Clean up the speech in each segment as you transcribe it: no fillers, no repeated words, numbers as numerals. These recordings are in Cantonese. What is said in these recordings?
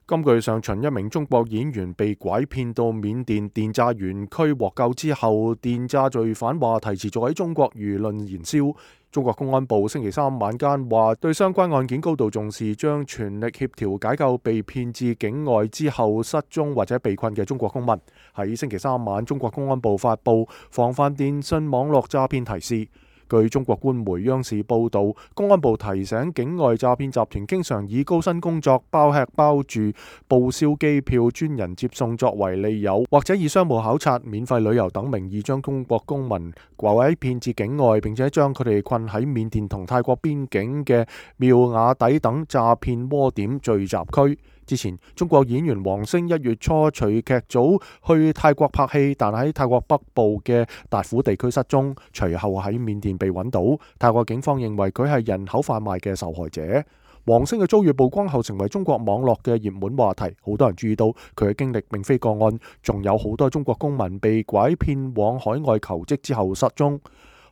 今個月上旬，一名中國演員被拐騙到緬甸電詐園區獲救之後，電詐罪犯話題持續喺中國輿論燃燒。中國公安部星期三晚間話，對相關案件高度重視，將全力協調解救被騙至境外之後失蹤或者被困嘅中國公民。喺星期三晚，中國公安部發布防範電信網絡詐騙提示。據中國官媒央視報導，公安部提醒境外詐騙集團經常以高薪工作、包吃包住、報銷機票、專人接送作為利誘，或者以商務考察、免費旅遊等名義將中國公民拐騙至境外，並且將佢哋困喺緬甸同泰國邊境嘅妙瓦底等詐騙窩點聚集區。之前，中國演員王星1月初隨劇組去泰國拍戲，但喺泰國北部嘅達虎地區失蹤，隨後喺緬甸被揾到。泰國警方認為佢係人口販賣嘅受害者。王星嘅遭遇曝光後，成為中國網絡嘅熱門話題。好多人注意到佢嘅經歷並非個案，仲有好多中國公民被拐騙往海外求職之後失蹤。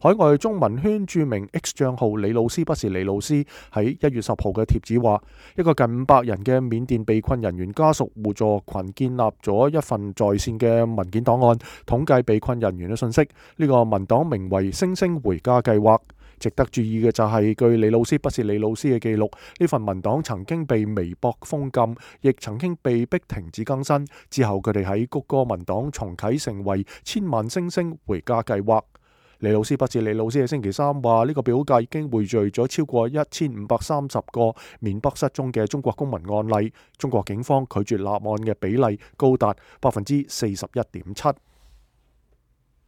海外中文圈著名 X 賬號李老師不是李老師喺1月10號嘅貼子話，一個近500人嘅緬甸被困人員家屬互助群建立咗一份在線嘅文件檔案，統計被困人員嘅信息。呢個文檔名為星星回家計劃。值得注意嘅就係，據李老師不是李老師嘅記錄，呢份文檔曾經被微博封禁，亦曾經被逼停止更新。之後佢哋喺谷歌文檔重啟，成為千萬星星回家計劃。李老師不是李老師嘅星期三話，呢個表格已經匯聚咗超過1530個緬北失蹤嘅中國公民案例。中國警方拒絕立案嘅比例高達41.7%。